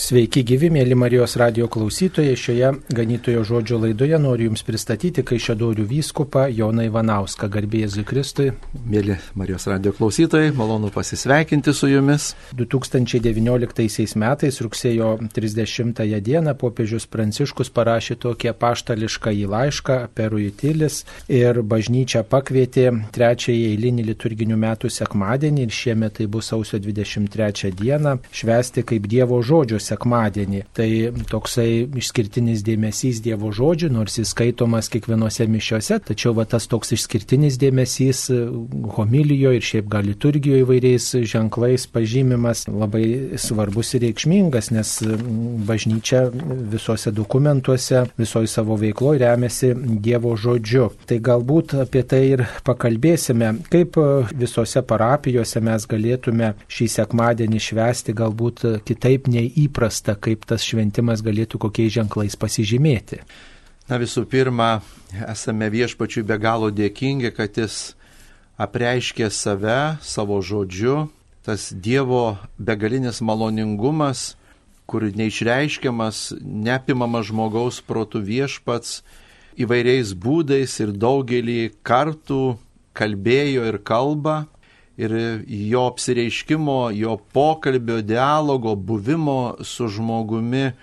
Sveiki gyvi, mėly Marijos radijo klausytojai. Šioje Ganytojo žodžio laidoje noriu Jums pristatyti Kaišiadorių vyskupą Joną Ivanauską. Garbė Jėzui Kristui. Mėly Marijos radijo klausytojai, malonu pasisveikinti su Jumis. 2019 metais rugsėjo 30 dieną popiežius Pranciškus parašė tokį apaštališką laišką Perujutilis ir bažnyčia pakvietė trečiąjį eilinį liturginių metų sekmadienį ir šiemet tai bus sausio 23 dieną švęsti kaip Dievo žodžio sekmadienį. Tai toksai išskirtinis dėmesys Dievo žodžiui, nors jis skaitomas kiekvienose mišiose, tačiau tas toks išskirtinis dėmesys homilijoje ir šiaip gal liturgijoje įvairiais ženklais pažymimas labai svarbus ir reikšmingas, nes bažnyčia visuose dokumentuose, visoje savo veikloje remiasi Dievo žodžiu. Tai galbūt apie tai ir pakalbėsime, kaip visose parapijose mes galėtume šį sekmadienį švęsti galbūt kitaip nei įprasta, kaip tas šventimas galėtų kokiais ženklais pasižymėti. Visų pirma, esame Viešpačiui be galo dėkingi, kad Jis apreiškė save savo žodžiu, tas Dievo begalinis maloningumas, kur neišreiškiamas, neapimamas žmogaus protų Viešpats įvairiais būdais ir daugelį kartų kalbėjo ir kalba. Ir jo apsireiškimo, jo pokalbio, dialogo, buvimo su žmogumi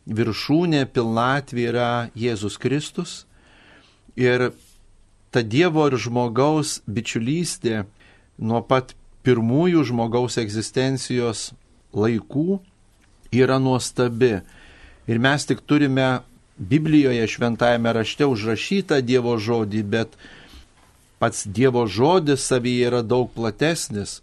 viršūnė, pilnatvė yra Jėzus Kristus. Ir ta Dievo ir žmogaus bičiulystė nuo pat pirmųjų žmogaus egzistencijos laikų yra nuostabi. Ir mes tik turime Biblijoje šventajame rašte užrašytą Dievo žodį, bet pats Dievo žodis savyje yra daug platesnis.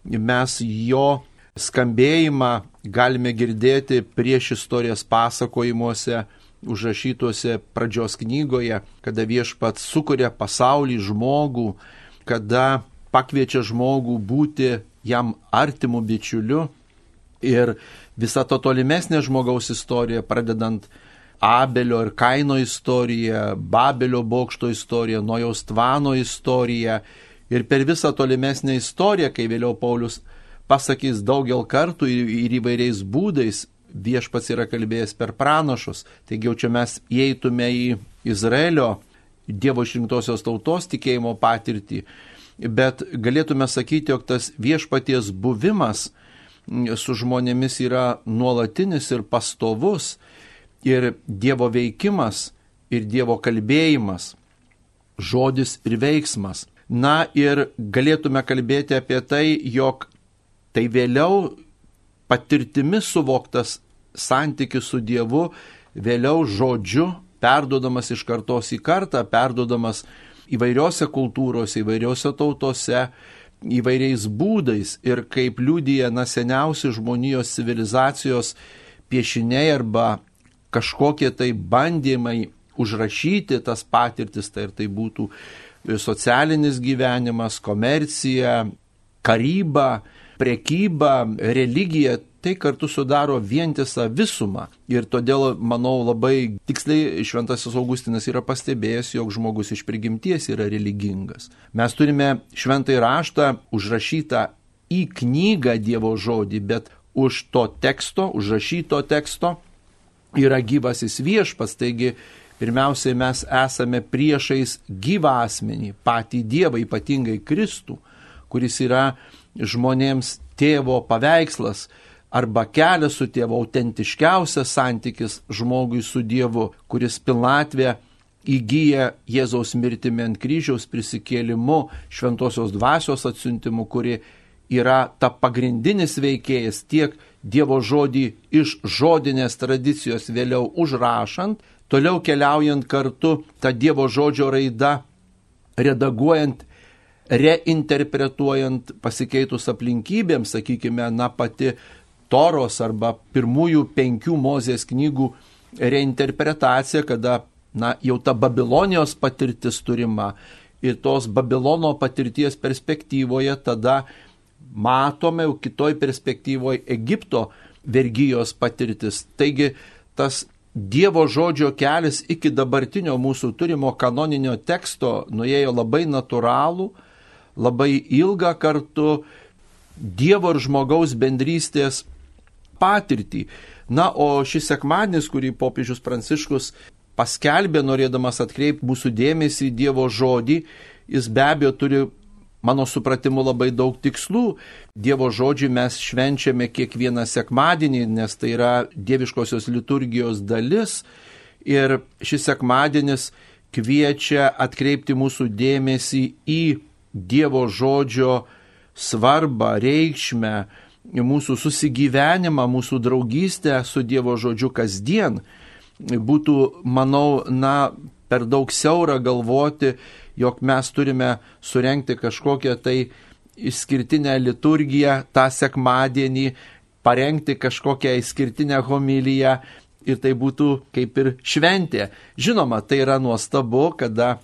Mes jo skambėjimą galime girdėti prieš istorijas pasakojimuose, užrašytuose pradžios knygoje, kada Viešpats sukuria pasaulį, žmogų, kada pakviečia žmogų būti jam artimu bičiuliu. Ir visa to tolimesnė žmogaus istorija, pradedant Abelio ir Kaino istorija, Babelio bokšto istorija, Nojaus tvano istorija ir per visą tolimesnę istoriją, kai vėliau Paulius pasakys daugel kartų ir įvairiais būdais, Viešpats yra kalbėjęs per pranašus. Taigi jau čia mes įeitume į Izraelio Dievo išrinktosios tautos tikėjimo patirtį, bet galėtume sakyti, jog tas Viešpaties buvimas su žmonėmis yra nuolatinis ir pastovus. Ir Dievo veikimas, ir Dievo kalbėjimas, žodis ir veiksmas. Na ir galėtume kalbėti apie tai, jog tai vėliau patirtimi suvoktas santykis su Dievu, vėliau žodžiu, perduodamas iš kartos į kartą, perduodamas įvairiose kultūrose, įvairiose tautose, įvairiais būdais. Ir kaip liudija seniausi žmonijos civilizacijos piešiniai arba kažkokie tai bandymai užrašyti tas patirtis, tai ir tai būtų socialinis gyvenimas, komercija, karyba, prekyba, religija, tai kartu sudaro vientisą visumą. Ir todėl, manau, labai tiksliai Šventasis Augustinas yra pastebėjęs, jog žmogus iš prigimties yra religingas. Mes turime šventąjį raštą užrašytą į knygą Dievo žodį, bet už to teksto, užrašyto teksto, yra gyvasis Viešpats, taigi pirmiausiai mes esame priešais gyvą asmenį, patį Dievą, ypatingai Kristų, kuris yra žmonėms tėvo paveikslas arba kelias su tėvu, autentiškiausias santykis žmogui su Dievu, kuris pilnatvę įgyja Jėzaus mirtimi ant kryžiaus, prisikėlimu, šventosios dvasios atsiuntimu, kuri yra ta pagrindinis veikėjas tiek Dievo žodį iš žodinės tradicijos vėliau užrašant, toliau keliaujant kartu tą Dievo žodžio raidą, redaguojant, reinterpretuojant pasikeitus aplinkybėms, sakykime, pati Toros arba pirmųjų 5 Mozės knygų reinterpretacija, kada jau ta Babilonijos patirtis turima ir tos Babilono patirties perspektyvoje tada matome jau kitoj perspektyvoje Egipto vergijos patirtis. Taigi tas Dievo žodžio kelias iki dabartinio mūsų turimo kanoninio teksto nuėjo labai natūralų, labai ilgą kartu Dievo ir žmogaus bendrystės patirtį. Na, o šis sekmadienis, kurį popiežius Pranciškus paskelbė, norėdamas atkreipti mūsų dėmesį į Dievo žodį, jis be abejo turi, mano supratimu, labai daug tikslų. Dievo žodžiui mes švenčiame kiekvieną sekmadienį, nes tai yra dieviškosios liturgijos dalis. Ir šis sekmadienis kviečia atkreipti mūsų dėmesį į Dievo žodžio svarbą, reikšmę, mūsų susigyvenimą, mūsų draugystę su Dievo žodžiu kasdien. Būtų, manau, per daug siaura galvoti, jog mes turime surengti kažkokią tai išskirtinę liturgiją tą sekmadienį, parengti kažkokią išskirtinę homiliją ir tai būtų kaip ir šventė. Žinoma, tai yra nuostabu, kada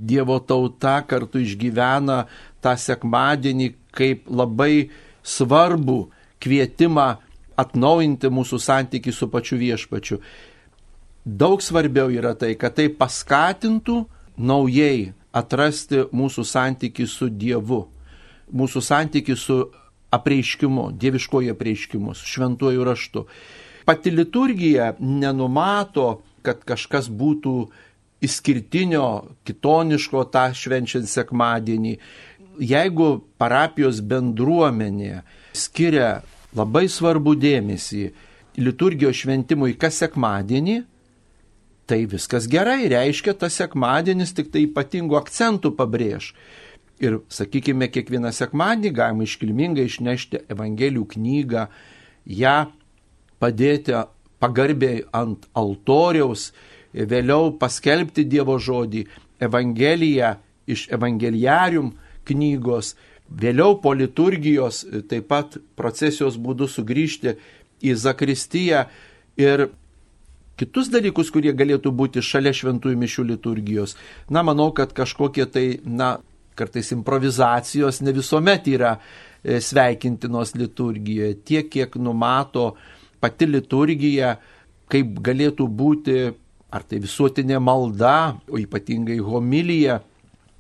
Dievo tauta kartu išgyvena tą sekmadienį kaip labai svarbų kvietimą atnaujinti mūsų santykį su pačiu Viešpačiu. Daug svarbiau yra tai, kad tai paskatintų naujai atrasti mūsų santykį su Dievu, mūsų santykį su apreiškimu, dieviškoju apreiškimu, su šventuoju raštu. Pati liturgija nenumato, kad kažkas būtų išskirtinio, kitoniško tą švenčiant sekmadienį. Jeigu parapijos bendruomenė skiria labai svarbų dėmesį liturgijos šventimui kas sekmadienį, tai viskas gerai, reiškia, tas sekmadienis tik tai ypatingų akcentų pabrėž. Ir, sakykime, kiekvieną sekmadienį galima iškilmingai išnešti Evangelijų knygą, ją padėti pagarbiai ant altoriaus, vėliau paskelbti Dievo žodį, Evangeliją iš Evangeliarium knygos, vėliau po liturgijos taip pat procesijos būdu sugrįžti į zakristiją ir kitus dalykus, kurie galėtų būti šalia šventųjų mišių liturgijos. Manau, kad kažkokie tai, kartais improvizacijos ne visuomet yra sveikintinos liturgijoje. Tiek, kiek numato pati liturgija, kaip galėtų būti, ar tai visuotinė malda, o ypatingai homilija,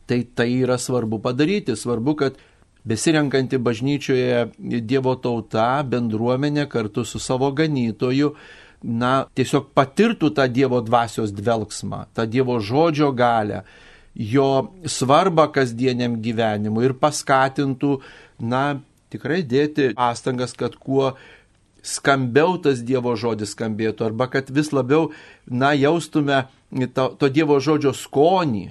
tai yra svarbu padaryti. Svarbu, kad besirenkanti bažnyčioje Dievo tauta, bendruomenė kartu su savo ganytoju, tiesiog patirtų tą Dievo dvasios dvelgsmą, tą Dievo žodžio galią, jo svarbą kasdieniam gyvenimui ir paskatintų, tikrai dėti pastangas, kad kuo skambiau tas Dievo žodis skambėtų, arba kad vis labiau, jaustume to Dievo žodžio skonį,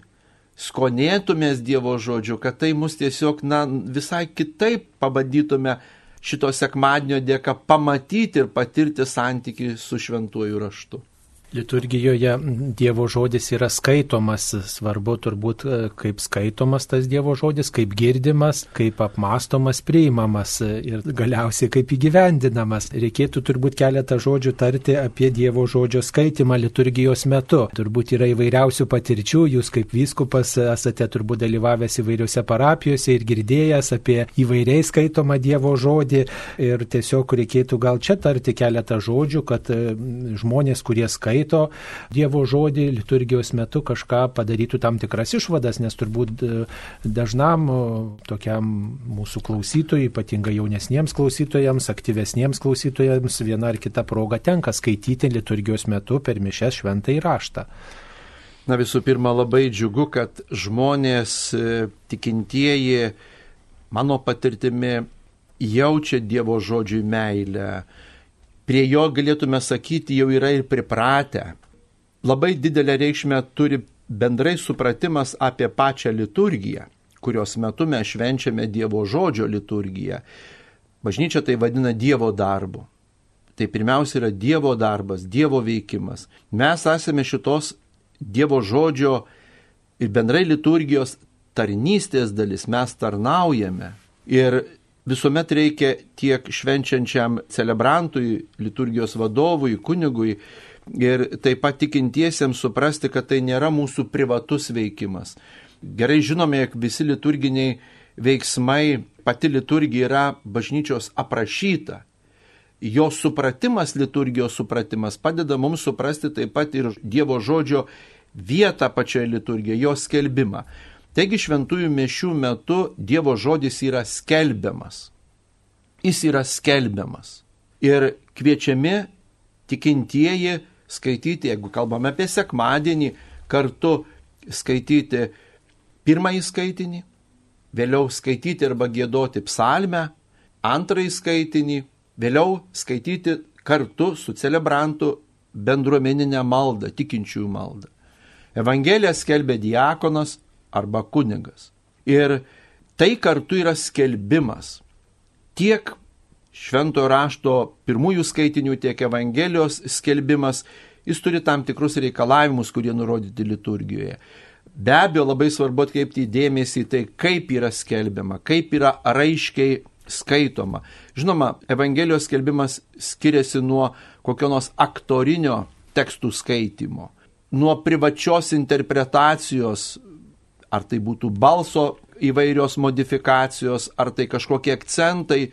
skonėtumės Dievo žodžiu, kad tai mus tiesiog, visai kitaip pabandytume šito sekmadienio dėka pamatyti ir patirti santykį su šventuoju raštu. Liturgijoje Dievo žodis yra skaitomas, svarbu turbūt kaip skaitomas tas Dievo žodis, kaip girdimas, kaip apmąstomas, priimamas ir galiausiai kaip įgyvendinamas. Reikėtų turbūt keletą žodžių tarti apie Dievo žodžio skaitimą liturgijos metu. Turbūt yra įvairiausių patirčių, jūs kaip vyskupas esate turbūt dalyvavęs įvairiose parapijose ir girdėjęs apie įvairiai skaitomą Dievo žodį ir tiesiog reikėtų gal čia tarti keletą žodžių, kad žmonės, kurie skaito Dievo žodį liturgijos metu kažką padarytų tam tikras išvadas, nes turbūt dažnam tokiam mūsų klausytojui, ypatingai jaunesniems klausytojams, aktyvesniems klausytojams viena ar kita proga tenka skaityti liturgijos metu per mišias šventąjį raštą. Visų pirma, labai džiugu, kad žmonės tikintieji, mano patirtimi, jaučia Dievo žodžiui meilę. Prie jo, galėtume sakyti, jau yra ir pripratę. Labai didelę reikšmę turi bendrai supratimas apie pačią liturgiją, kurios metu mes švenčiame Dievo žodžio liturgiją. Bažnyčia tai vadina Dievo darbu. Tai pirmiausia yra Dievo darbas, Dievo veikimas. Mes esame šitos Dievo žodžio ir bendrai liturgijos tarnystės dalis, mes tarnaujame. Ir visuomet reikia tiek švenčiančiam celebrantui, liturgijos vadovui, kunigui ir taip pat tikintiesiems suprasti, kad tai nėra mūsų privatus veikimas. Gerai žinome, jog visi liturginiai veiksmai, pati liturgija yra bažnyčios aprašyta. Jo supratimas, liturgijos supratimas padeda mums suprasti taip pat ir Dievo žodžio vietą pačioje liturgijoje, jo skelbimą. Taigi šventųjų mišių metu Dievo žodis yra skelbiamas. Jis yra skelbiamas. Ir kviečiami tikintieji skaityti, jeigu kalbame apie sekmadienį, kartu skaityti pirmąjį skaitinį, vėliau skaityti arba giedoti psalmę, antrąjį skaitinį, vėliau skaityti kartu su celebrantu bendruomeninę maldą, tikinčiųjų maldą. Evangeliją skelbia diakonas arba kunigas. Ir tai kartu yra skelbimas. Tiek šventojo rašto pirmųjų skaitinių, tiek Evangelijos skelbimas, jis turi tam tikrus reikalavimus, kurie nurodyti liturgijoje. Be abejo, labai svarbu atkreipti dėmesį į tai, kaip yra skelbiama, kaip yra raiškiai skaitoma. Žinoma, Evangelijos skelbimas skiriasi nuo kokio nors aktorinio tekstų skaitimo, nuo privačios interpretacijos, ar tai būtų balso įvairios modifikacijos, ar tai kažkokie akcentai.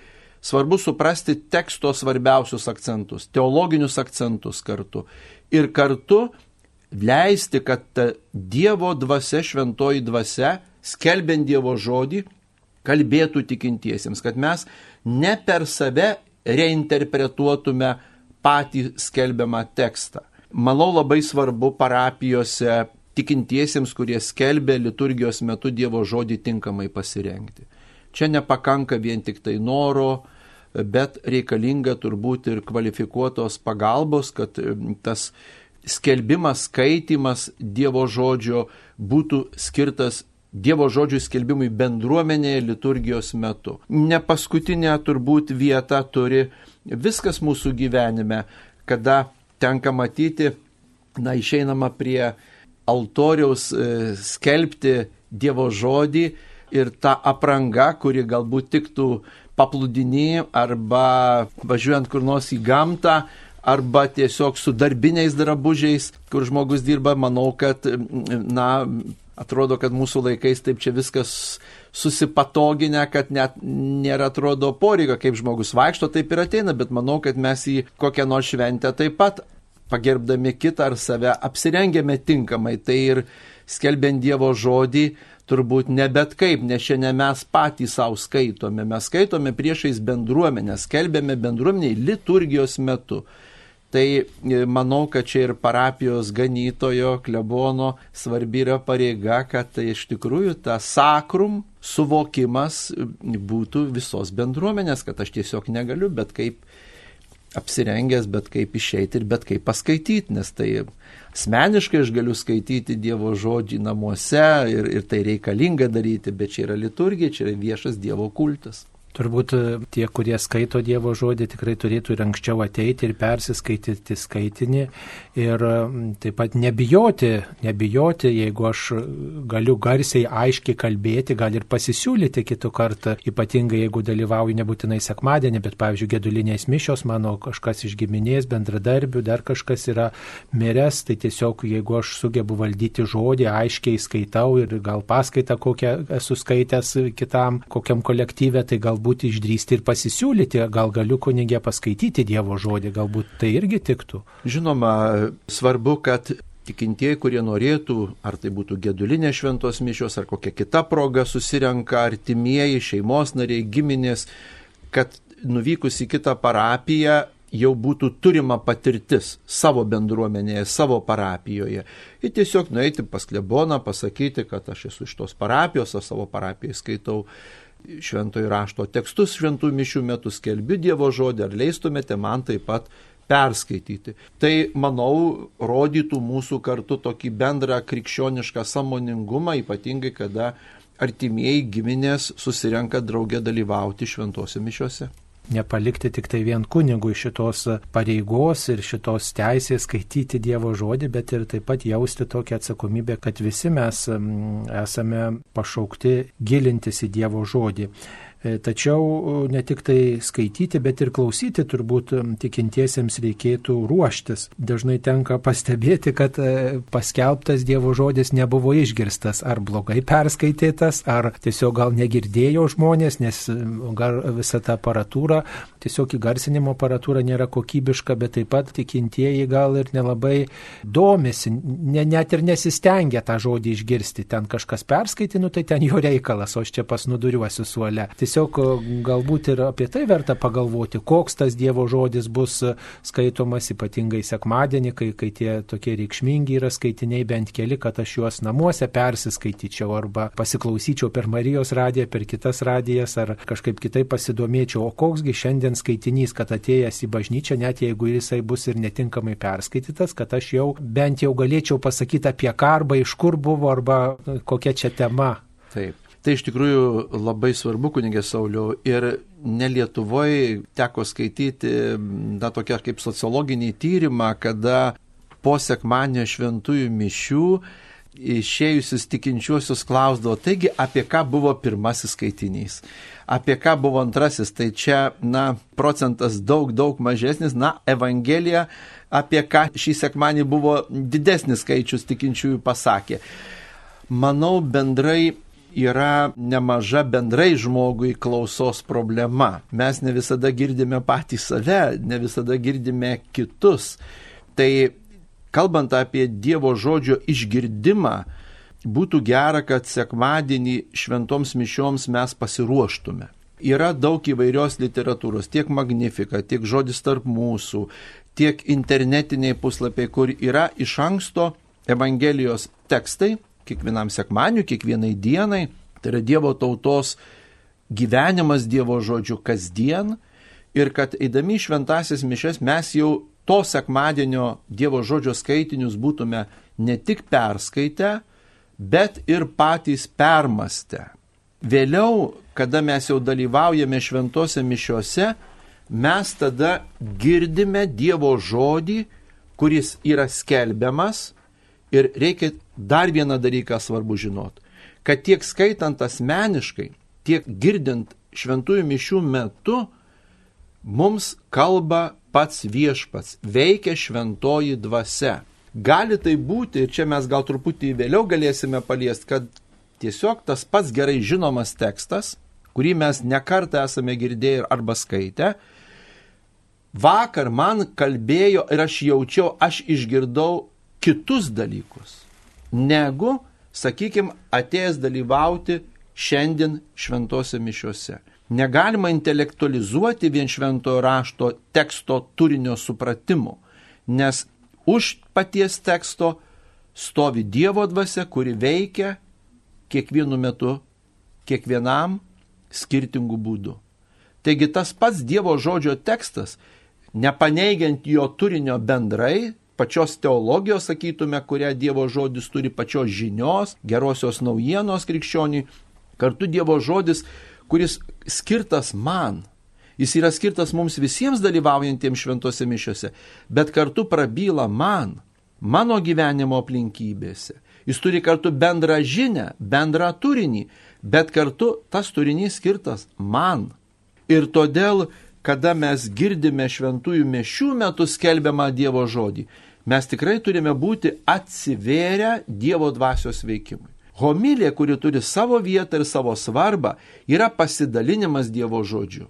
Svarbu suprasti teksto svarbiausius akcentus, teologinius akcentus kartu. Ir kartu leisti, kad Dievo dvasia, šventoji dvasia, skelbiant Dievo žodį, kalbėtų tikintiesiems, kad mes ne per save reinterpretuotume patį skelbiamą tekstą. Manau, labai svarbu parapijose tikintiesiems, kurie skelbia liturgijos metu Dievo žodį, tinkamai pasirengti. Čia nepakanka vien tik tai noro, bet reikalinga turbūt ir kvalifikuotos pagalbos, kad tas skelbimas, skaitimas Dievo žodžio būtų skirtas Dievo žodžių skelbimui bendruomenėje liturgijos metu. Ne paskutinė turbūt vieta turi viskas mūsų gyvenime, kada tenka matyti, išeinama prie altoriaus skelbti Dievo žodį ir ta apranga, kuri galbūt tiktų paplūdiny arba važiuojant kur nors į gamtą, arba tiesiog su darbiniais drabužiais, kur žmogus dirba, manau, kad, atrodo, kad mūsų laikais taip čia viskas susipatoginę, kad net nėra atrodo poreikio, kaip žmogus vaikšto, taip ir ateina, bet manau, kad mes į kokią nors šventę taip pat pagerbdami kitą ar save apsirengėme tinkamai. Tai ir skelbiant Dievo žodį, turbūt ne bet kaip, nes šiandien mes patys savo skaitome. Mes skaitome priešais bendruomenę, skelbėme bendruomeniai liturgijos metu. Tai manau, kad čia ir parapijos ganytojo, klebono svarbi yra pareiga, kad tai iš tikrųjų ta sakrum suvokimas būtų visos bendruomenės, kad aš tiesiog negaliu, bet kaip apsirengęs, bet kaip išeiti ir bet kaip paskaityti, nes tai asmeniškai aš galiu skaityti Dievo žodį namuose ir tai reikalinga daryti, bet čia yra liturgija, čia yra viešas Dievo kultas. Turbūt tie, kurie skaito Dievo žodį, tikrai turėtų ir anksčiau ateiti ir persiskaityti skaitinį ir taip pat nebijoti, jeigu aš galiu garsiai, aiškiai kalbėti, gal ir pasisiūlyti kitų kartą, ypatingai jeigu dalyvauju nebūtinai sekmadienį, bet pavyzdžiui, gedulinės mišios, mano kažkas iš giminės, bendradarbių, dar kažkas yra miręs, tai tiesiog jeigu aš sugebu valdyti žodį, aiškiai skaitau ir gal paskaitą kokią esu skaitęs kitam, kokiam kolektyve, tai galbūt išdrįsti ir pasisiūlyti, gal galiu kunigė paskaityti Dievo žodį, galbūt tai irgi tiktų. Žinoma, svarbu, kad tikintieji, kurie norėtų, ar tai būtų gedulinės šventos mišios, ar kokia kita proga, susirenka artimieji, šeimos nariai, giminės, kad nuvykus į kitą parapiją jau būtų turima patirtis savo bendruomenėje, savo parapijoje. Ir tiesiog nueiti pas kleboną, pasakyti, kad aš esu iš tos parapijos, aš savo parapijoje skaitau šventojo rašto tekstus, šventų mišių metu skelbiu Dievo žodį, ar leistumėte man taip pat perskaityti. Tai, manau, rodytų mūsų kartu tokį bendrą krikščionišką sąmoningumą, ypatingai kada artimieji giminės susirenka drauge dalyvauti šventose mišiose. Nepalikti tik tai vien kunigui šitos pareigos ir šitos teisės skaityti Dievo žodį, bet ir taip pat jausti tokią atsakomybę, kad visi mes esame pašaukti gilintis į Dievo žodį. Tačiau ne tik tai skaityti, bet ir klausyti turbūt tikintiesiems reikėtų ruoštis. Dažnai tenka pastebėti, kad paskelbtas Dievo žodis nebuvo išgirstas, ar blogai perskaitytas, ar tiesiog gal negirdėjo žmonės, nes gal visa ta aparatūra, tiesiog įgarsinimo aparatūra nėra kokybiška, bet taip pat tikintieji gal ir nelabai domisi, net ir nesistengia tą žodį išgirsti. Ten kažkas perskaitė, tai ten jo reikalas, o aš čia pasnuduriuosiu suole. tiesiog galbūt ir apie tai verta pagalvoti, koks tas Dievo žodis bus skaitomas ypatingai sekmadienį, kai tie tokie reikšmingi yra skaitiniai, bent keli, kad aš juos namuose persiskaityčiau arba pasiklausyčiau per Marijos radiją, per kitas radijas ar kažkaip kitaip pasidomėčiau, o koksgi šiandien skaitinys, kad atėjęs į bažnyčią, net jeigu jisai bus ir netinkamai perskaitytas, kad aš jau bent jau galėčiau pasakyti apie ką arba iš kur buvo arba kokia čia tema. Taip. Tai iš tikrųjų labai svarbu, kunigė Sauliau, ir ne Lietuvoje teko skaityti tokią kaip sociologinį tyrimą, kada po sekmadienio šventųjų mišių išėjusius tikinčiuosius klausdavo, taigi apie ką buvo pirmasis skaitinys, apie ką buvo antrasis, tai čia, procentas daug mažesnis, Evangelija, apie ką šį sekmadienį buvo didesnis skaičius tikinčiųjų pasakė. Manau, bendrai yra nemaža bendrai žmogui klausos problema. Mes ne visada girdime patys save, ne visada girdime kitus. Tai kalbant apie Dievo žodžio išgirdimą, būtų gera, kad sekmadienį šventoms mišioms mes pasiruoštume. Yra daug įvairios literatūros, tiek Magnificat, tiek Žodis tarp mūsų, tiek internetiniai puslapiai, kur yra iš anksto Evangelijos tekstai, kiekvienam sekmadieniui, kiekvienai dienai, tai yra Dievo tautos gyvenimas Dievo žodžiu kasdien, ir kad eidami šventasis mišes mes jau to sekmadienio Dievo žodžio skaitinius būtume ne tik perskaitę, bet ir patys permastę. Vėliau, kada mes jau dalyvaujame šventose mišiose, mes tada girdime Dievo žodį, kuris yra skelbiamas. Ir reikia dar vieną dalyką svarbu žinoti, kad tiek skaitant asmeniškai, tiek girdint šventųjų mišių metu, mums kalba pats viešpats, veikia šventoji dvasia. Gali tai būti, ir čia mes gal truputį vėliau galėsime paliesti, kad tiesiog tas pats gerai žinomas tekstas, kurį mes nekartą esame girdėję arba skaitę, vakar man kalbėjo ir aš jaučiau, aš išgirdau kitus dalykus, negu, sakykime, atėjęs dalyvauti šiandien šventose mišiose. Negalima intelektualizuoti vien šventojo rašto teksto turinio supratimu, nes už paties teksto stovi Dievo dvasia, kuri veikia kiekvienu metu, kiekvienam skirtingų būdų. Taigi tas pats Dievo žodžio tekstas, nepaneigiant jo turinio bendrai, pačios teologijos, sakytume, kurią Dievo žodis turi, pačios žinios, gerosios naujienos krikščioniui, kartu Dievo žodis, kuris skirtas man. Jis yra skirtas mums visiems dalyvaujantiems šventose mišiose, bet kartu prabyla man, mano gyvenimo aplinkybėse. Jis turi kartu bendrą žinią, bendrą turinį, bet kartu tas turinys skirtas man. Ir todėl, kada mes girdime šventųjų mišių metu skelbiamą Dievo žodį, mes tikrai turime būti atsivėrę Dievo dvasios veikimui. Homilija, kuri turi savo vietą ir savo svarbą, yra pasidalinimas Dievo žodžiu.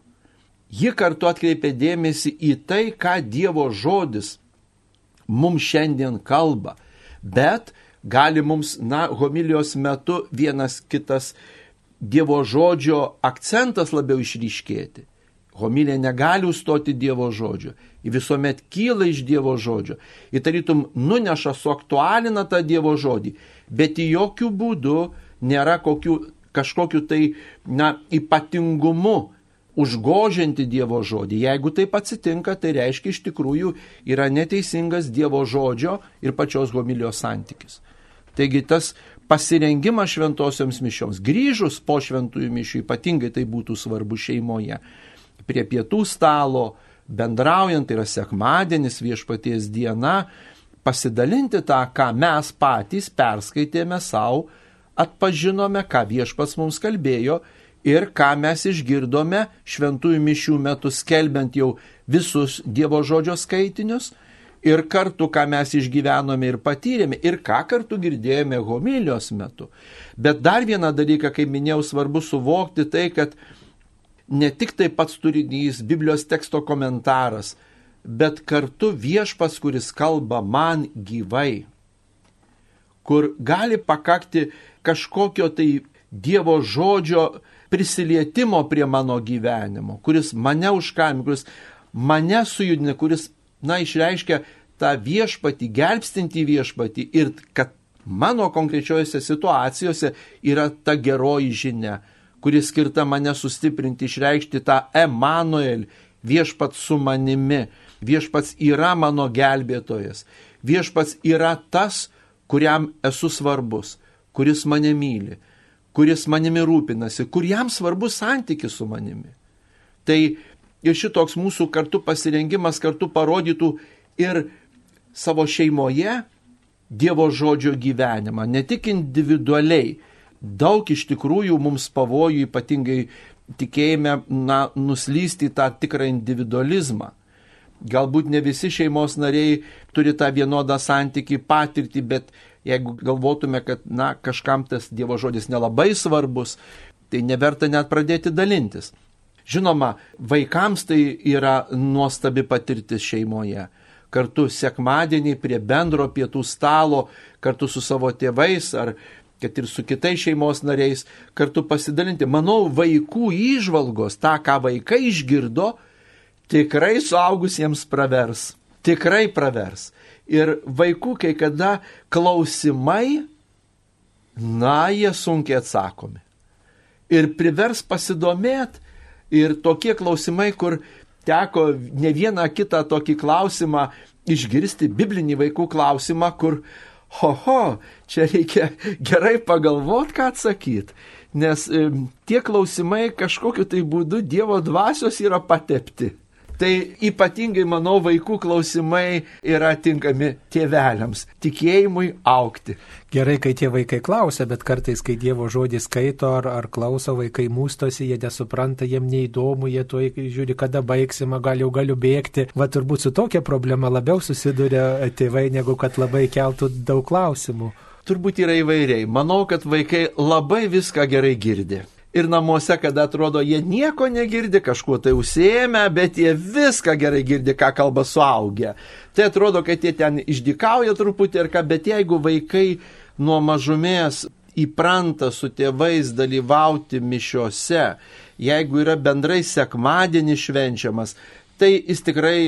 Ji kartu atkreipia dėmesį į tai, ką Dievo žodis mums šiandien kalba, bet gali mums, homilijos metu vienas kitas Dievo žodžio akcentas labiau išryškėti. Homilija negali užstoti Dievo žodžio. Ji visuomet kyla iš Dievo žodžio. Ji tarytum nuneša, suaktualina tą Dievo žodį. Bet į jokių būdų nėra kažkokiu tai ypatingumu užgožianti Dievo žodį. Jeigu taip atsitinka, tai reiškia iš tikrųjų yra neteisingas Dievo žodžio ir pačios homilijos santykis. Taigi tas pasirengimas šventosioms mišioms, grįžus po šventųjų mišių, ypatingai tai būtų svarbu šeimoje, prie pietų stalo, bendraujant, tai yra sekmadienis, viešpaties diena, pasidalinti tą, ką mes patys perskaitėme savo, atpažinome, ką viešpats mums kalbėjo ir ką mes išgirdome šventųjų mišių metu skelbiant jau visus Dievo žodžio skaitinius ir kartu, ką mes išgyvenome ir patyrėme ir ką kartu girdėjome homilijos metu. Bet dar vieną dalyką, kaip minėjau, svarbu suvokti tai, kad ne tik tai pats turinys, Biblijos teksto komentaras, bet kartu viešpats, kuris kalba man gyvai, kur gali pakakti kažkokio tai Dievo žodžio prisilietimo prie mano gyvenimo, kuris mane užkalbina, kuris mane sujudina, kuris, išreiškia tą viešpatį, gelbstintį viešpatį ir kad mano konkrečiojose situacijose yra ta geroji žinia, kuri skirta mane sustiprinti, išreikšti tą Emanuel, viešpats su manimi, viešpats yra mano gelbėtojas, viešpats yra tas, kuriam esu svarbus, kuris mane myli, kuris manimi rūpinasi, kuriam svarbus santykis su manimi. Tai ir šitoks mūsų kartu pasirengimas kartu parodytų ir savo šeimoje Dievo žodžio gyvenimą, ne tik individualiai. Daug iš tikrųjų mums pavojų, ypatingai tikėjime, nuslysti tą tikrą individualizmą. Galbūt ne visi šeimos nariai turi tą vienodą santykį, patirtį, bet jeigu galvotume, kad kažkam tas Dievo žodis nelabai svarbus, tai neverta net pradėti dalintis. Žinoma, vaikams tai yra nuostabi patirtis šeimoje. Kartu sekmadienį prie bendro pietų stalo, kartu su savo tėvais ar kad ir su kitais šeimos nariais, kartu pasidalinti. Manau, vaikų įžvalgos, tą, ką vaikai išgirdo, tikrai suaugusiems pravers. Tikrai pravers. Ir vaikų kai kada klausimai, jie sunkiai atsakomi. Ir privers pasidomėti. Ir tokie klausimai, kur teko ne vieną kitą tokį klausimą išgirsti, biblinį vaikų klausimą, kur, čia reikia gerai pagalvoti, ką atsakyti. Nes tie klausimai kažkokiu tai būdu Dievo dvasios yra patepti. Tai ypatingai, manau, vaikų klausimai yra tinkami tėveliams, tikėjimui augti. Gerai, kai tie vaikai klausia, bet kartais, kai Dievo žodį skaito ar klauso, vaikai mūstosi, jie nesupranta, jiem neįdomu, jie tuoj žiūri, kada baigsime, gal jau galiu bėgti. Va turbūt su tokia problema labiau susiduria tėvai, negu kad labai keltų daug klausimų. Turbūt yra įvairiai. Manau, kad vaikai labai viską gerai girdi. Ir namuose, kada atrodo, jie nieko negirdi, kažkuo tai užsiėmę, bet jie viską gerai girdi, ką kalba suaugę. Tai atrodo, kad jie ten išdykauja truputį ir ką, bet jeigu vaikai nuo mažumės įpranta su tėvais dalyvauti mišiose, jeigu yra bendrai sekmadienis švenčiamas, tai jis tikrai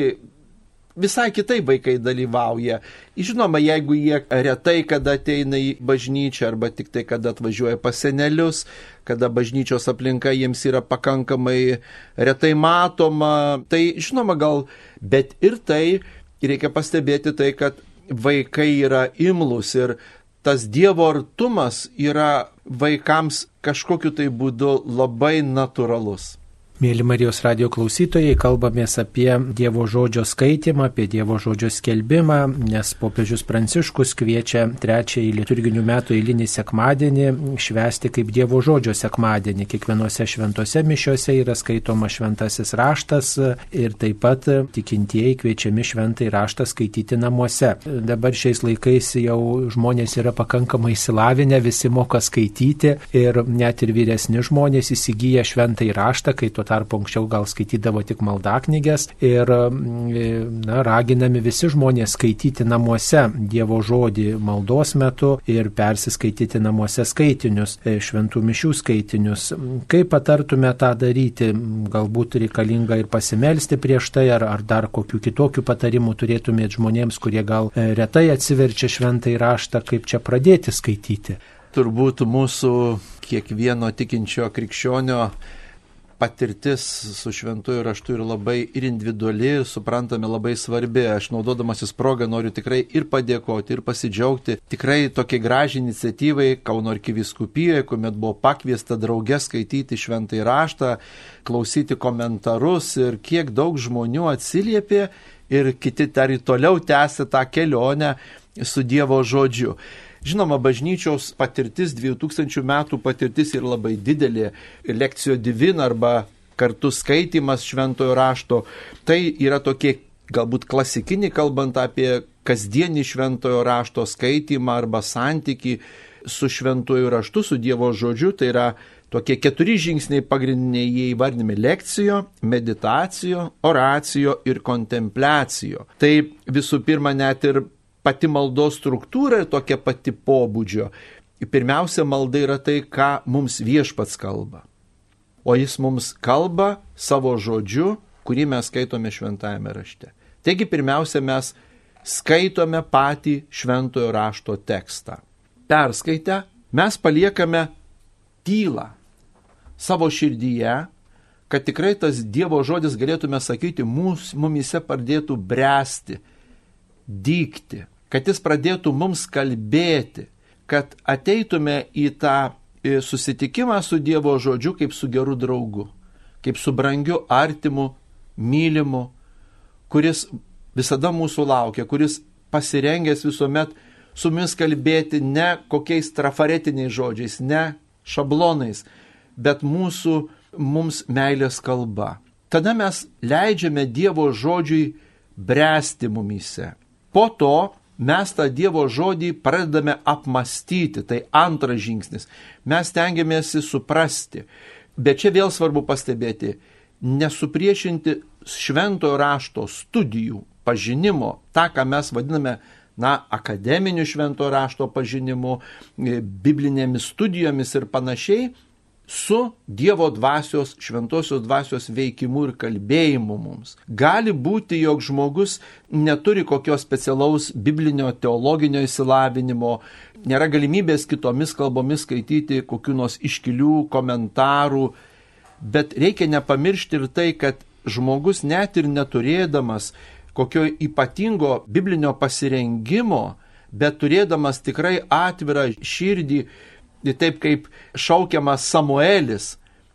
visai kitai vaikai dalyvauja. Žinoma, jeigu jie retai kada ateina į bažnyčią arba tik tai kada atvažiuoja pas senelius, kada bažnyčios aplinka jiems yra pakankamai retai matoma, tai žinoma gal, bet ir tai reikia pastebėti tai, kad vaikai yra imlūs ir tas Dievo artumas yra vaikams kažkokiu tai būdu labai natūralus. Mėly Marijos radijo klausytojai, kalbamės apie Dievo žodžio skaitimą, apie Dievo žodžio skelbimą, nes popiežius Pranciškus kviečia trečiąjį liturginių metų eilinį sekmadienį švęsti kaip Dievo žodžio sekmadienį. Kiekvienose šventose mišiose yra skaitoma šventasis raštas ir taip pat tikintieji kviečiami šventąjį raštą skaityti namuose. Dabar šiais laikais jau žmonės yra pakankamai išsilavinę, visi moka skaityti ir net ir vyresni žmonės įsigyja šventąjį raštą, kai tuo tarpu anksčiau gal skaitydavo tik maldaknyges ir raginami visi žmonės skaityti namuose Dievo žodį maldos metu ir persiskaityti namuose skaitinius, šventų mišių skaitinius. Kaip patartume tą daryti? Galbūt reikalinga ir pasimelsti prieš tai, ar dar kokių kitokių patarimų turėtumėte žmonėms, kurie gal retai atsiverčia šventąjį raštą, kaip čia pradėti skaityti? Turbūt mūsų kiekvieno tikinčio krikščionio patirtis su šventuoju raštu yra labai ir individuali, ir suprantame labai svarbi. Aš naudodamasis progą noriu tikrai ir padėkoti, ir pasidžiaugti tikrai tokiai gražiai iniciatyvai Kauno arkivyskupijoje, kuomet buvo pakviesta drauge skaityti šventąjį raštą, klausyti komentarus ir kiek daug žmonių atsiliepė ir kiti dar toliau tęsia tą kelionę su Dievo žodžiu. Žinoma, bažnyčios patirtis, 2000 metų patirtis yra labai didelė, lekcijo divina arba kartu skaitimas šventojo rašto. Tai yra tokie galbūt klasikiniai, kalbant apie kasdienį šventojo rašto skaitimą arba santykį su šventojo raštu, su Dievo žodžiu. Tai yra tokie 4 žingsniai pagrindiniai, jie įvardinami: lekcijo, meditacijo, oracijo ir kontempliacijo. Tai visų pirma net ir pati maldos struktūra ir tokia pati pobūdžio. Pirmiausia, malda yra tai, ką mums viešpats kalba. o jis mums kalba savo žodžiu, kurį mes skaitome šventajame rašte. Taigi pirmiausia, mes skaitome patį šventojo rašto tekstą. Perskaitę, mes paliekame tylą savo širdyje, kad tikrai tas Dievo žodis, galėtume sakyti, mumise pradėtų bręsti, dygti, kad jis pradėtų mums kalbėti, kad ateitume į tą susitikimą su Dievo žodžiu kaip su geru draugu, kaip su brangiu artimu, mylimu, kuris visada mūsų laukia, kuris pasirengęs visuomet su mumis kalbėti ne kokiais trafaretiniais žodžiais, ne šablonais, bet mums meilės kalba. Tada mes leidžiame Dievo žodžiui bręsti mumise. Po to mes tą Dievo žodį pradedame apmastyti, tai antras žingsnis. Mes stengiamės suprasti, bet čia vėl svarbu pastebėti, nesupriešinti šventojo rašto studijų, pažinimo, tą, ką mes vadiname, akademiniu šventojo rašto pažinimu, biblinėmis studijomis ir panašiai, su Dievo dvasios, šventosios dvasios veikimu ir kalbėjimu mums. Gali būti, jog žmogus neturi kokios specialaus biblinio teologinio išsilavinimo, nėra galimybės kitomis kalbomis skaityti kokių nors iškilių komentarų, bet reikia nepamiršti ir tai, kad žmogus net ir neturėdamas kokio ypatingo biblinio pasirengimo, bet turėdamas tikrai atvirą širdį, taip kaip šaukiamas Samuelis,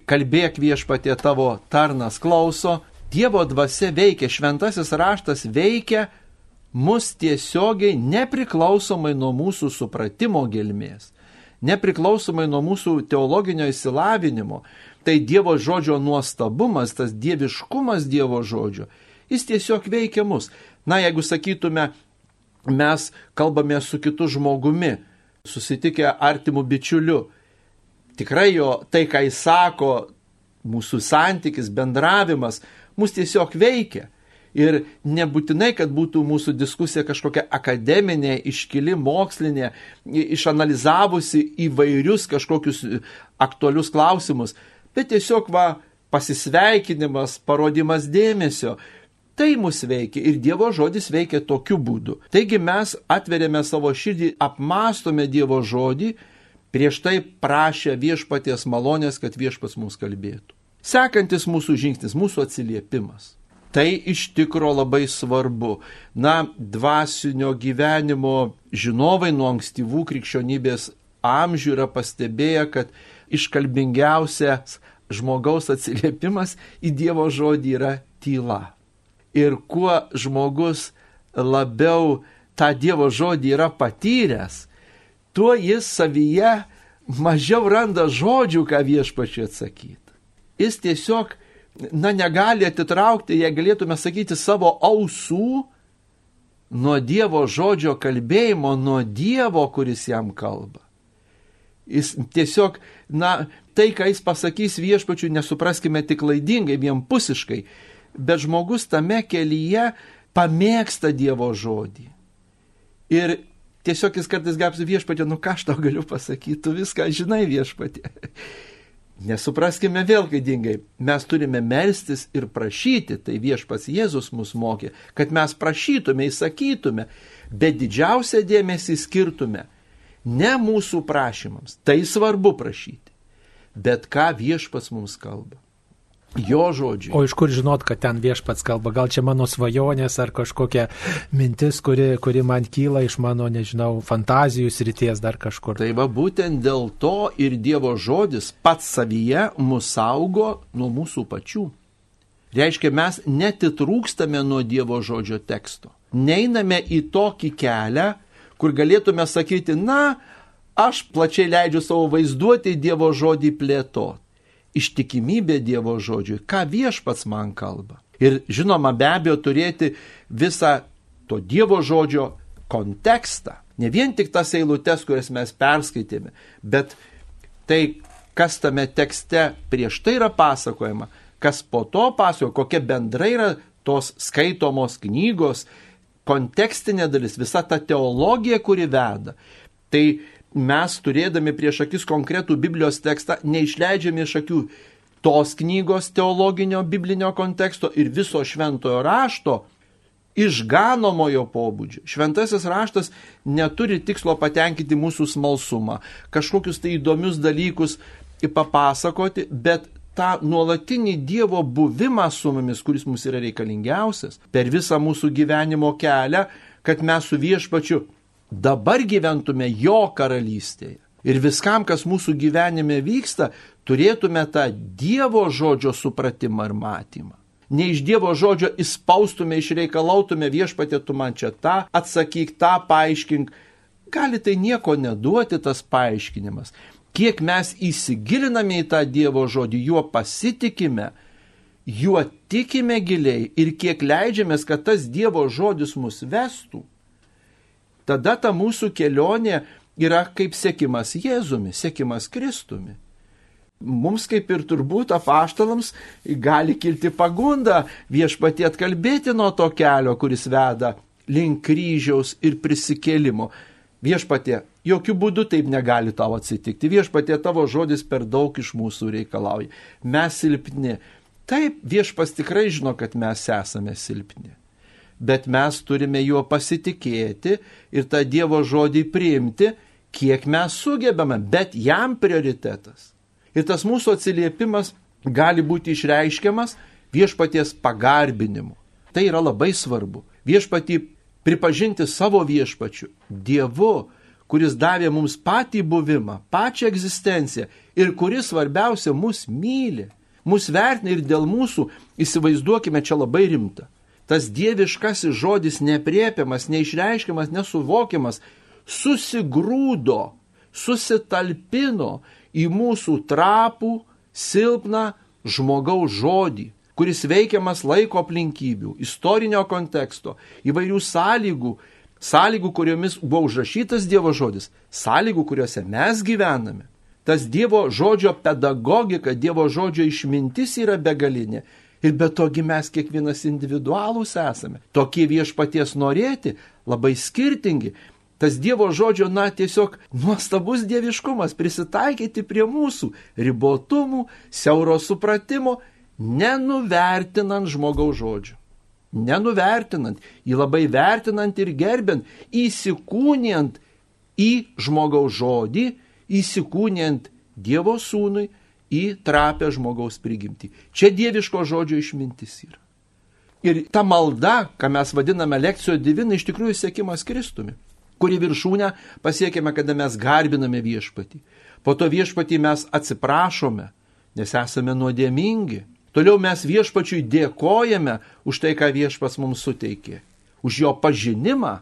kalbėk viešpatie, tavo tarnas klauso, Dievo dvasia veikia, šventasis raštas veikia mus tiesiogiai nepriklausomai nuo mūsų supratimo gelmės, nepriklausomai nuo mūsų teologinio išsilavinimo. Tai Dievo žodžio nuostabumas, tas dieviškumas Dievo žodžio, jis tiesiog veikia mus. Jeigu sakytume, mes kalbame su kitu žmogumi, susitikę artimų bičiulių, tikrai jo tai, ką jis sako, mūsų santykis, bendravimas, mus tiesiog veikia. Ir nebūtinai, kad būtų mūsų diskusija kažkokia akademinė, iškili, mokslinė, išanalizavusi įvairius kažkokius aktualius klausimus, bet tiesiog pasisveikinimas, parodimas dėmesio. Tai mus veikia ir Dievo žodis veikia tokiu būdu. Taigi mes atveriame savo širdį, apmastome Dievo žodį, prieš tai prašę viešpaties malonės, kad viešpats mums kalbėtų. Sekantis mūsų žingsnis, mūsų atsiliepimas. Tai iš tikro labai svarbu. Dvasinio gyvenimo žinovai nuo ankstyvų krikščionybės amžių yra pastebėję, kad iškalbingiausias žmogaus atsiliepimas į Dievo žodį yra tyla. Ir kuo žmogus labiau tą Dievo žodį yra patyręs, tuo jis savyje mažiau randa žodžių, ką viešpačiui atsakyti. Jis tiesiog, negali atitraukti, jei galėtume sakyti, savo ausų nuo Dievo žodžio kalbėjimo, nuo Dievo, kuris jam kalba. Jis tiesiog, tai, ką jis pasakys viešpačiui, nesupraskime tik klaidingai, vienpusiškai, bet žmogus tame kelyje pamėgsta Dievo žodį. Ir tiesiog jis kartais gapsi viešpatė, ką aš tau galiu pasakyti, tu viską žinai viešpatė. Nesupraskime vėl klaidingai, mes turime melstis ir prašyti, tai viešpats Jėzus mus mokė, kad mes prašytume, įsakytume, bet didžiausią dėmesį skirtume ne mūsų prašymams, tai svarbu prašyti, bet ką viešpats mums kalba. Jo žodžiai. O iš kur žinot, kad ten viešpats kalba? Gal čia mano svajonės ar kažkokia mintis, kuri man kyla iš mano, fantazijų srities dar kažkur? Tai būtent dėl to ir Dievo žodis pats savyje mus saugo nuo mūsų pačių. Reiškia, mes netitrūkstame nuo Dievo žodžio teksto. Neiname į tokį kelią, kur galėtume sakyti, aš plačiai leidžiu savo vaizduoti Dievo žodį plėtoti. Ištikimybė Dievo žodžiui, ką viešpats man kalba. Ir žinoma, be abejo, turėti visą to Dievo žodžio kontekstą. Ne vien tik tas eilutes, kurias mes perskaitėme, bet tai, kas tame tekste prieš tai yra pasakojama, kas po to pasakoja, kokia bendrai yra tos skaitomos knygos, kontekstinė dalis, visa ta teologija, kuri veda. Tai mes, turėdami prieš akis konkretų Biblijos tekstą, neišleidžiame iš akių tos knygos teologinio biblinio konteksto ir viso šventojo rašto išganomojo pobūdžio. Šventasis raštas neturi tikslo patenkinti mūsų smalsumą, kažkokius tai įdomius dalykus papasakoti, bet tą nuolatinį Dievo buvimą su mumis, kuris mums yra reikalingiausias, per visą mūsų gyvenimo kelią, kad mes su Viešpačiu dabar gyventume jo karalystėje. Ir viskam, kas mūsų gyvenime vyksta, turėtume tą Dievo žodžio supratimą ir matymą. Ne iš Dievo žodžio įspaustume, išreikalautume, Viešpatie, tu man čia tą atsakyk, tą paaiškink. Gali tai nieko neduoti tas paaiškinimas. Kiek mes įsigiliname į tą Dievo žodį, juo pasitikime, juo tikime giliai ir kiek leidžiamės, kad tas Dievo žodis mus vestų, tada ta mūsų kelionė yra kaip sekimas Jėzumi, sekimas Kristumi. Mums kaip ir turbūt apaštalams gali kilti pagunda Viešpatie atkalbėti nuo to kelio, kuris veda link kryžiaus ir prisikėlimo. Viešpatie, jokių būdų taip negali tau atsitikti. Viešpatie, tavo žodis per daug iš mūsų reikalauja. Mes silpni. Taip, Viešpas tikrai žino, kad mes esame silpni. Bet mes turime juo pasitikėti ir tą Dievo žodį priimti, kiek mes sugebame, bet jam prioritetas. Ir tas mūsų atsiliepimas gali būti išreiškiamas Viešpaties pagarbinimu. Tai yra labai svarbu. Viešpatį pripažinti savo Viešpačiu, Dievu, kuris davė mums patį buvimą, pačią egzistenciją ir kuris svarbiausia mus myli, mus vertina ir dėl mūsų, įsivaizduokime, čia labai rimta. Tas dieviškasis žodis nepriepiamas, neišreiškiamas, nesuvokiamas, susigrūdo, susitalpino į mūsų trapų, silpną žmogaus žodį, kuris veikiamas laiko aplinkybių, istorinio konteksto, įvairių sąlygų, kuriomis buvo užrašytas Dievo žodis, sąlygų, kuriuose mes gyvename. Tas Dievo žodžio pedagogika, Dievo žodžio išmintis yra begalinė. Ir be togi mes kiekvienas individualūs esame. Tokie Viešpaties norėti, labai skirtingi. Tas Dievo žodžio, tiesiog nuostabus dieviškumas, prisitaikyti prie mūsų ribotumų, siauro supratimo, nenuvertinant žmogaus žodžio. Nenuvertinant, jį labai vertinant ir gerbent, įsikūnijant į žmogaus žodį, įsikūnijant Dievo sūnui į trapę žmogaus prigimtį. Čia dieviško žodžio išmintis yra. Ir ta malda, ką mes vadiname lekcijo divina, iš tikrųjų sekimas Kristumi, kuri viršūnę pasiekėme, kada mes garbiname Viešpatį. Po to Viešpatį mes atsiprašome, nes esame nuodėmingi. Toliau mes Viešpačiui dėkojame už tai, ką Viešpats mums suteikė. Už jo pažinimą,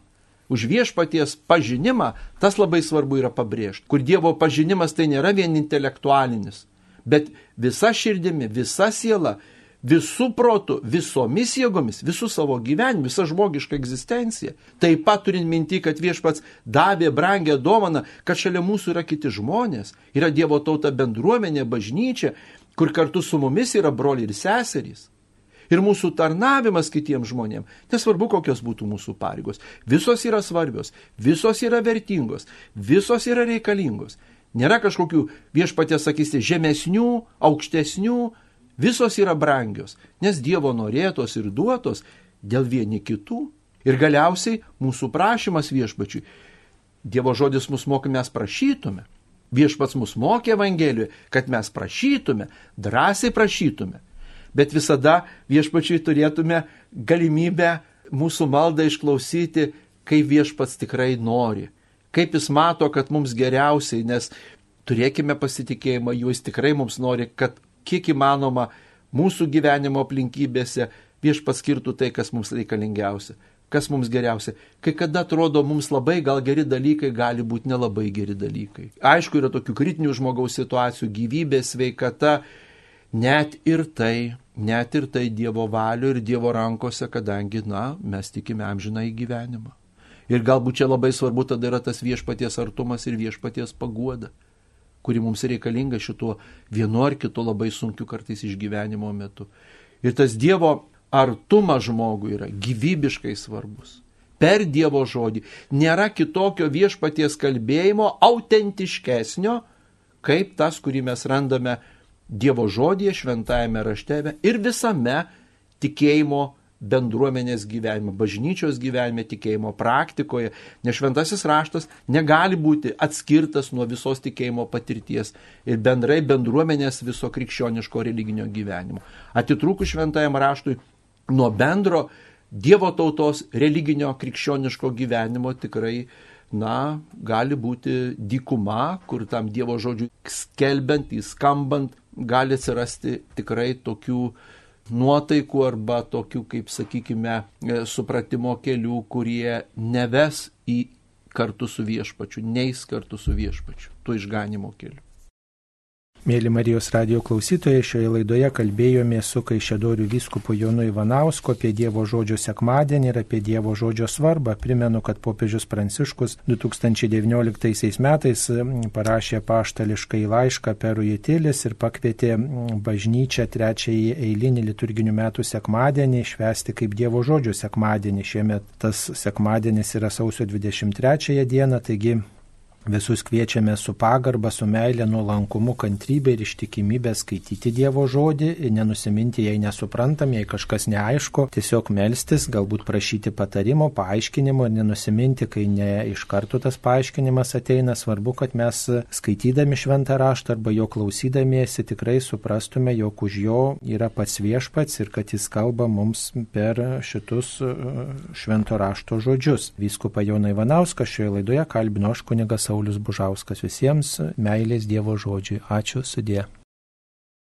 už Viešpaties pažinimą, tas labai svarbu yra pabrėžti. Kur Dievo pažinimas tai nėra vien intelektualinis, bet visa širdimi, visa siela, visų protų, visomis jėgomis, visų savo gyvenimu, visa žmogiška egzistencija. Taip pat turint minti, kad Viešpats davė brangią dovaną, kad šalia mūsų yra kiti žmonės, yra Dievo tauta bendruomenė, bažnyčia, kur kartu su mumis yra broliai ir seserys. Ir mūsų tarnavimas kitiems žmonėms, nesvarbu kokios būtų mūsų pareigos, visos yra svarbios, visos yra vertingos, visos yra reikalingos. Nėra kažkokių Viešpaties, sakysi, žemesnių, aukštesnių, visos yra brangios, nes Dievo norėtos ir duotos dėl vieni kitų. Ir galiausiai mūsų prašymas Viešpačiui. Dievo žodis mus mokė, mes prašytume. Viešpats mus mokė Evangelijoje, kad mes prašytume, drąsiai prašytume. Bet visada Viešpačiui turėtume galimybę mūsų maldą išklausyti, kaip Viešpats tikrai nori. Kaip jis mato, kad mums geriausiai, nes turėkime pasitikėjimą, jis tikrai mums nori, kad kiek įmanoma mūsų gyvenimo aplinkybėse Viešpats skirtų tai, kas mums reikalingiausia, kas mums geriausia. Kai kada atrodo mums labai gal geri dalykai, gali būti nelabai geri dalykai. Aišku, yra tokių kritinių žmogaus situacijų, gyvybė, sveikata, net ir tai Dievo valio ir Dievo rankose, kadangi, mes tikime amžiną į gyvenimą. Ir galbūt čia labai svarbu tada yra tas Viešpaties artumas ir Viešpaties paguoda, kuri mums reikalinga šituo vienu ar kitu labai sunkiu kartais išgyvenimo metu. Ir tas Dievo artumas žmogui yra gyvybiškai svarbus. Per Dievo žodį nėra kitokio Viešpaties kalbėjimo autentiškesnio, kaip tas, kurį mes randame Dievo žodyje, šventajame rašte ir visame tikėjimo bendruomenės gyvenime, bažnyčios gyvenime, tikėjimo praktikoje, nes šventasis raštas negali būti atskirtas nuo visos tikėjimo patirties ir bendrai bendruomenės viso krikščioniško religinio gyvenimo. Atitrūkus šventajam raštui nuo bendro Dievo tautos religinio krikščioniško gyvenimo tikrai, gali būti dykuma, kur tam Dievo žodžiui skelbiant, įskambant, gali atsirasti tikrai tokių nuotaikų arba tokių, kaip sakykime, supratimo kelių, kurie neves į kartu su viešpačiu, neis kartu su viešpačiu, tuo išganimo keliu. Mėly Marijos radijo klausytojai, šioje laidoje kalbėjome su Kaišiadorių vyskupu Jonu Ivanausku apie Dievo žodžio sekmadienį ir apie Dievo žodžio svarbą. Primenu, kad popiežius Pranciškus 2019 metais parašė apaštališkąjį laišką Perui Utilis ir pakvietė bažnyčią trečiąjį eilinį liturginių metų sekmadienį švęsti kaip Dievo žodžio sekmadienį. Šiemet tas sekmadienis yra sausio 23 dieną, taigi visus kviečiame su pagarba, su meile, nuolankumu, kantrybė ir ištikimybė skaityti Dievo žodį, nenusiminti, jei nesuprantam, jei kažkas neaišku, tiesiog melstis, galbūt prašyti patarimo, paaiškinimo ir nenusiminti, kai ne iš karto tas paaiškinimas ateina. Svarbu, kad mes skaitydami šventą raštą arba jo klausydamiesi tikrai suprastume, jog už jo yra pats viešpats ir kad jis kalba mums per šitus švento rašto žodžius. Vyskupą Joną Ivanauską šioje laidoje kalbino aš kunigas Saulius Bužauskas. Visiems meilės Dievo žodžiui. Ačiū, sudie.